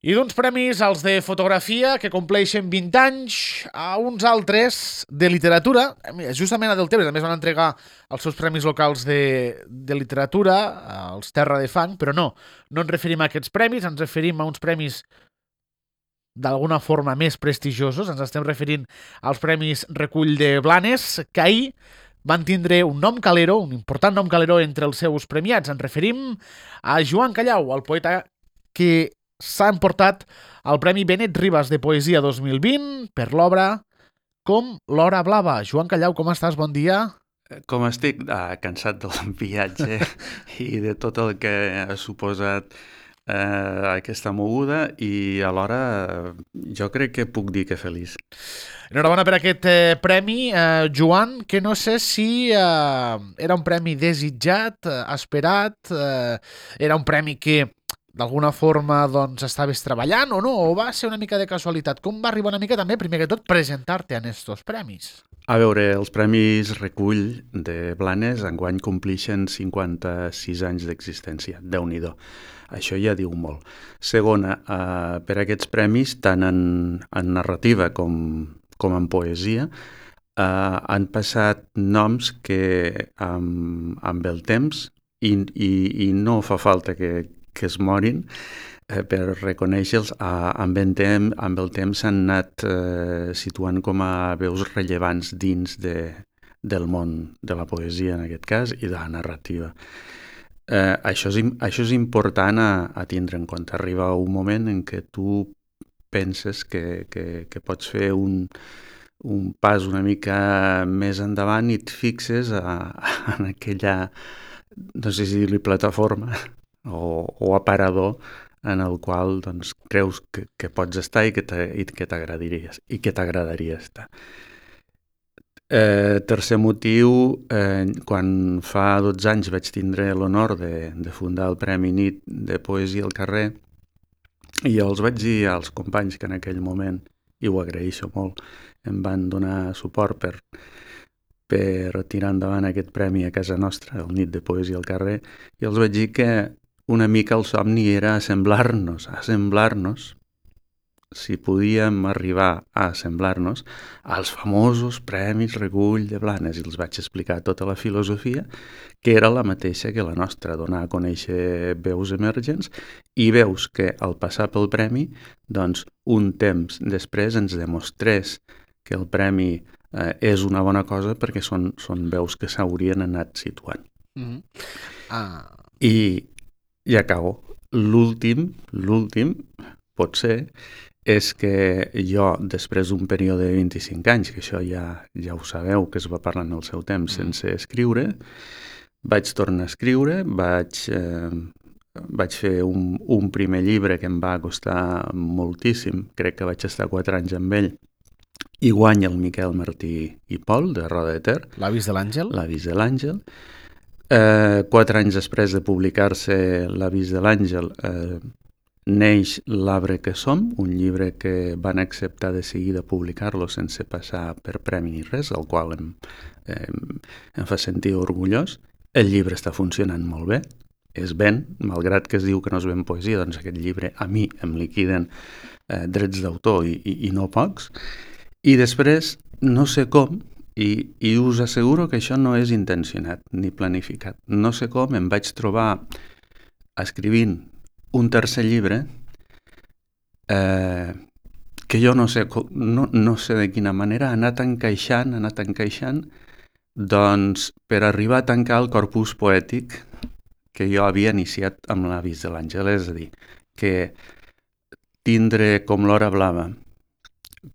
I d'uns premis, els de fotografia, que compleixen 20 anys, a uns altres de literatura, justament a Deltebre també es van entregar els seus premis locals de literatura, als Terra de Fang, però no ens referim a aquests premis, ens referim a uns premis d'alguna forma més prestigiosos, ens estem referint als premis Recull de Blanes, que ahir van tindre un nom calero, un important nom calero entre els seus premiats. Ens referim a Joan Callau, el poeta que s'ha emportat el Premi Benet Ribas de Poesia 2020 per l'obra Com l'hora blava. Joan Callau, com estàs? Bon dia. Com estic? Cansat del viatge i de tot el que ha suposat aquesta moguda i alhora jo crec que puc dir que feliç. Enhorabona per aquest premi, Joan, que no sé si era un premi desitjat, esperat, era un premi que d'alguna forma doncs estaves treballant o no, o va ser una mica de casualitat? Com va arribar una mica també, primer que tot, presentar-te en estos premis? A veure, els Premis Recull de Blanes enguany complixen 56 anys d'existència. Déu-n'hi-do. Això ja diu molt. Segona, per aquests premis, tant en narrativa com en poesia, han passat noms que amb el temps, i no fa falta que es morin, per reconèixer-los, amb el temps s'han anat situant com a veus rellevants dins del món de la poesia, en aquest cas, i de la narrativa. Això és important a tindre en compte. Arriba un moment en què tu penses que pots fer un pas una mica més endavant i et fixes en aquella, no sé si dir-li plataforma o aparador en el qual doncs, creus que pots estar i que t'agradaria estar. Tercer motiu, quan fa 12 anys vaig tindre l'honor de fundar el Premi Nit de Poesia al Carrer, i els vaig dir als companys que en aquell moment, i ho agraeixo molt, em van donar suport per tirar endavant aquest premi a casa nostra, el Nit de Poesia al Carrer, i els vaig dir que una mica el somni era assemblar-nos, si podíem arribar a assemblar-nos als famosos Premis Recull de Blanes, i els vaig explicar tota la filosofia, que era la mateixa que la nostra, donar a conèixer veus emergents i veus que al passar pel premi, doncs un temps després ens demostrés que el premi és una bona cosa perquè són veus que s'haurien anat situant. I acabo. L'últim, potser, és que jo, després d'un període de 25 anys, que això ja ho sabeu, que es va parlar en el seu temps sense escriure, vaig tornar a escriure, vaig fer un primer llibre que em va costar moltíssim, crec que vaig estar 4 anys amb ell, i guanya el Miquel Martí i Pol, de Roda de Ter. L'Avís de l'Àngel. L'Avís de l'Àngel. 4 anys després de publicar-se l'Avís de l'Àngel, neix L'arbre que som, un llibre que van acceptar de seguida publicar-lo sense passar per premi ni res, el qual em fa sentir orgullós. El llibre està funcionant molt bé, es ven, malgrat que es diu que no es ven poesia, doncs aquest llibre a mi em liquiden drets d'autor i no pocs. I després, no sé com, i us asseguro que això no és intencionat ni planificat. No sé com em vaig trobar escrivint un tercer llibre que jo no sé de quina manera ha anat encaixant, doncs per arribar a tancar el corpus poètic que jo havia iniciat amb l'Avís de l'Àngel. És a dir, que tindre Com l'hora blava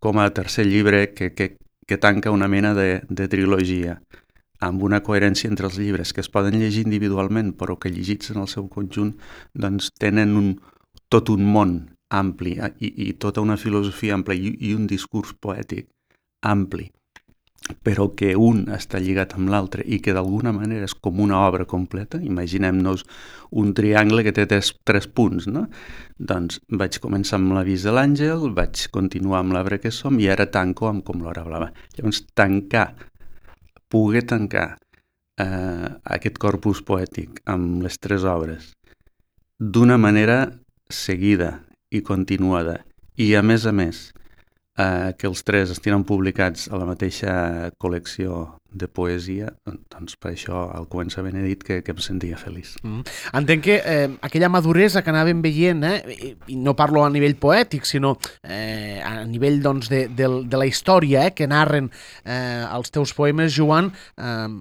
com a tercer llibre que tanca una mena de trilogia, amb una coherència entre els llibres que es poden llegir individualment, però que llegits en el seu conjunt doncs tenen tot un món ampli i tota una filosofia ampla i un discurs poètic ampli, però que un està lligat amb l'altre i que d'alguna manera és com una obra completa. Imaginem-nos un triangle que té tres punts, no? Doncs vaig començar amb l'Avís de l'Àngel, vaig continuar amb L'arbre que som i ara tanco amb Com l'hora blava. Llavors, poder tancar aquest corpus poètic amb les 3 obres d'una manera seguida i continuada, i a més, que els tres estiguin publicats a la mateixa col·lecció de poesia, doncs per això al començament he dit que em sentia feliç. Entenc que aquella maduresa que anàvem veient, i no parlo a nivell poètic, sinó a nivell doncs, de la història que narren els teus poemes, Joan,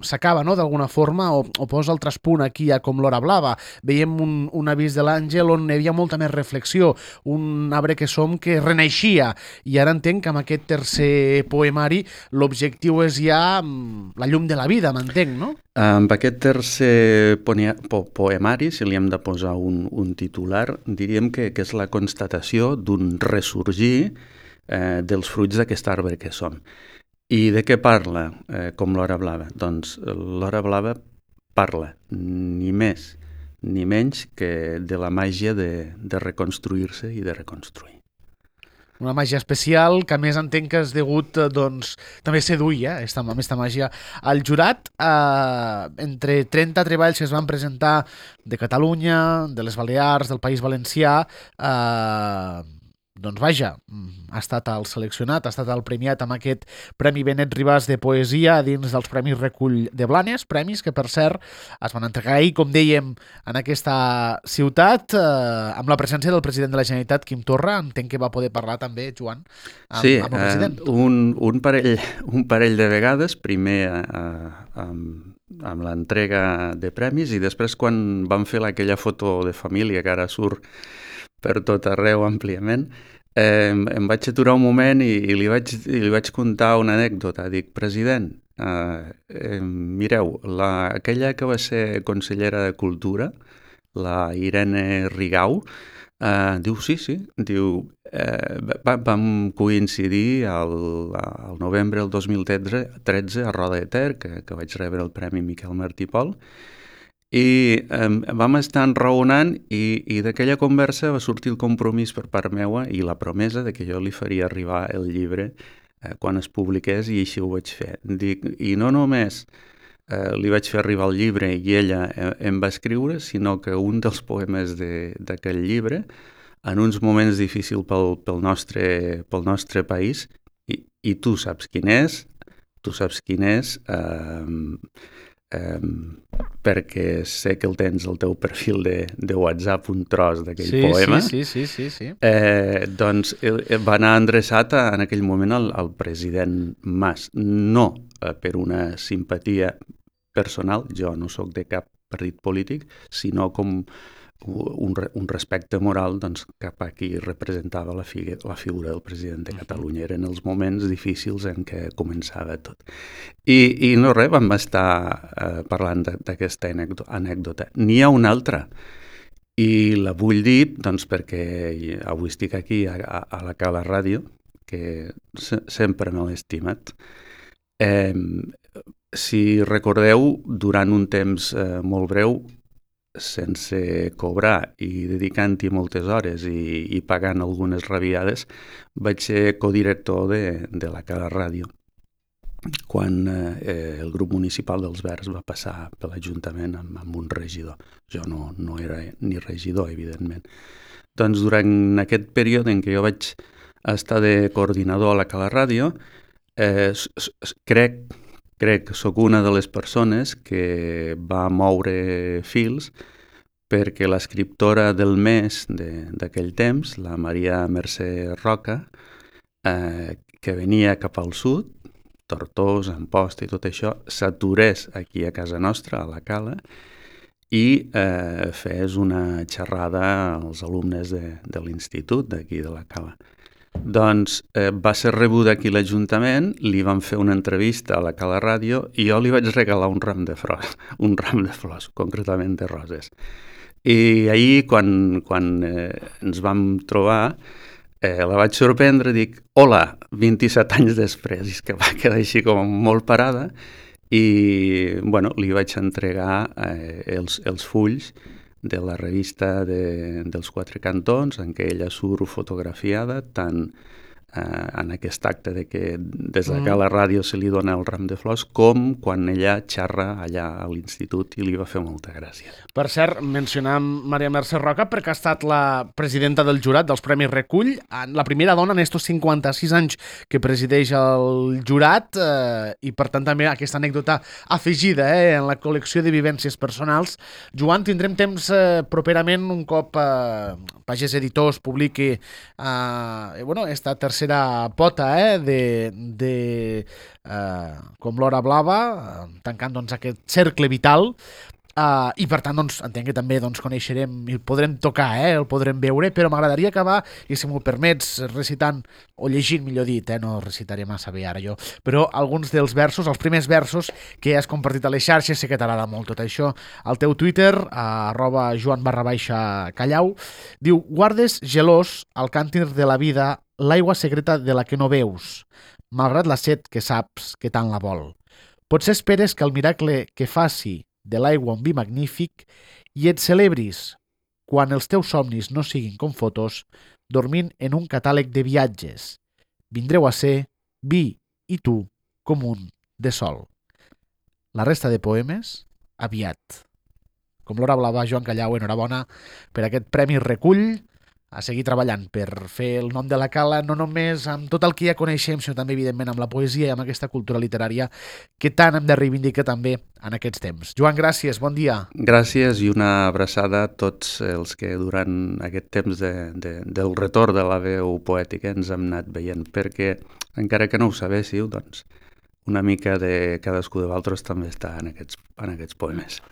s'acaba, no?, d'alguna forma, o posa el traspunt aquí a Com l'hora blava. Veiem un avís de l'Àngel on hi havia molta més reflexió, un arbre que som que reneixia, i ara entenc que amb aquest tercer poemari l'objectiu és ja la llum de la vida, m'entenc, no? Amb aquest tercer poemari, si li hem de posar un titular, diríem que és la constatació d'un ressorgir dels fruits d'aquest arbre que som. I de què parla Com l'hora blava? Doncs l'hora blava parla ni més ni menys que de la màgia de reconstruir-se i de reconstruir. Una màgia especial que a més entenc que és degut, doncs, també seduir aquesta màgia al jurat. Entre 30 treballs que es van presentar de Catalunya, de les Balears, del País Valencià, doncs vaja, ha estat el seleccionat, ha estat el premiat amb aquest Premi Benet Ribàs de Poesia dins dels Premis Recull de Blanes, premis que, per cert, es van entregar ahir, com dèiem, en aquesta ciutat, amb la presència del president de la Generalitat, Quim Torra. Entenc que va poder parlar també, Joan, amb el president. Un parell de vegades, primer amb l'entrega de premis i després quan vam fer aquella foto de família que ara surt per tot arreu àmpliament, em vaig aturar un moment i li vaig contar una anècdota. Dic, president, mireu, aquella que va ser consellera de Cultura, la Irene Rigau, diu, sí, diu, vam coincidir al novembre del 2013 a Roda de Ter, que vaig rebre el Premi Miquel Martí i Pol, i vam estar enraonant i d'aquella conversa va sortir el compromís per part meua i la promesa de que jo li faria arribar el llibre quan es publiqués, i així ho vaig fer. Dic, i no només li vaig fer arribar el llibre i ella em va escriure, sinó que un dels poemes d'aquell llibre, en uns moments difícils pel nostre país, i tu saps quin és, perquè sé que el tens al teu perfil de WhatsApp, un tros d'aquell poema. Sí. Doncs va anar endreçat en aquell moment al president Mas. No per una simpatia personal, jo no sóc de cap partit polític, sinó com un respecte moral, doncs, cap a qui representava la figura del president de Catalunya. Eren els moments difícils en què començava tot. I no res, vam estar parlant d'aquesta anècdota. N'hi ha una altra, i la vull dir doncs, perquè avui estic aquí a la Cala Ràdio, que sempre me l'he estimat. Si recordeu, durant un temps molt breu, sense cobrar i dedicant-hi moltes hores i pagant algunes rabiades, vaig ser codirector de la Cala Ràdio quan el grup municipal dels Verds va passar per l'Ajuntament amb un regidor. Jo no era ni regidor, evidentment. Doncs durant aquest període en què jo vaig estar de coordinador a la Cala Ràdio, crec que sóc una de les persones que va moure fils perquè l'escriptora del mes d'aquell temps, la Maria Mercè Roca, que venia cap al sud, Tortós, Amposta i tot això, s'aturés aquí a casa nostra, a la Cala, i fes una xerrada als alumnes de l'institut d'aquí de la Cala. Doncs va ser rebuda aquí a l'Ajuntament, li van fer una entrevista a la Cala Ràdio i jo li vaig regalar un ram de flors, concretament de roses. I ahir, quan ens vam trobar, la vaig sorprendre, dic, hola, 27 anys després, i és que va quedar així com molt parada, i bueno, li vaig entregar els fulls de la revista dels Quatre Cantons, en què ella surt fotografiada tant en aquest acte de que des de la ràdio se li dona el ram de flors, com quan ella xerra allà a l'institut i li va fer molta gràcia. Per cert, mencionam Maria Mercè Roca perquè ha estat la presidenta del jurat dels Premis Recull, la primera dona en estos 56 anys que presideix el jurat i per tant també aquesta anècdota afegida en la col·lecció de vivències personals. Joan, tindrem temps properament un cop Pagès Editors publiqui esta tercera pota com l'Hora Blava, tancant aquest cercle vital, i per tant entenc que també coneixerem i el podrem tocar, el podrem veure, però m'agradaria acabar, i si m'ho permets, recitant, o llegint millor dit, no recitaré massa bé ara jo, però alguns dels versos, els primers versos que has compartit a les xarxes, sé que t'agrada molt tot això. Al teu Twitter, @Joan_Callau, diu: guardes gelós al càntir de la vida l'aigua secreta de la que no veus, malgrat la set que saps que tant la vol. Potser esperes que el miracle que faci de l'aigua un vi magnífic i et celebris quan els teus somnis no siguin com fotos, dormint en un catàleg de viatges. Vindreu a ser vi i tu com un de sol. La resta de poemes, aviat. Com l'Hora Blava, Joan Callau, enhorabona per aquest Premi Recull, a seguir treballant per fer el nom de la cala, no només amb tot el que ja coneixem, sinó també, evidentment, amb la poesia i amb aquesta cultura literària que tant hem de reivindicar també en aquests temps. Joan, gràcies, bon dia. Gràcies i una abraçada a tots els que durant aquest temps del retorn de la veu poètica ens hem anat veient, perquè, encara que no ho sabéssiu, una mica de cadascú de vosaltres també està en aquests poemes.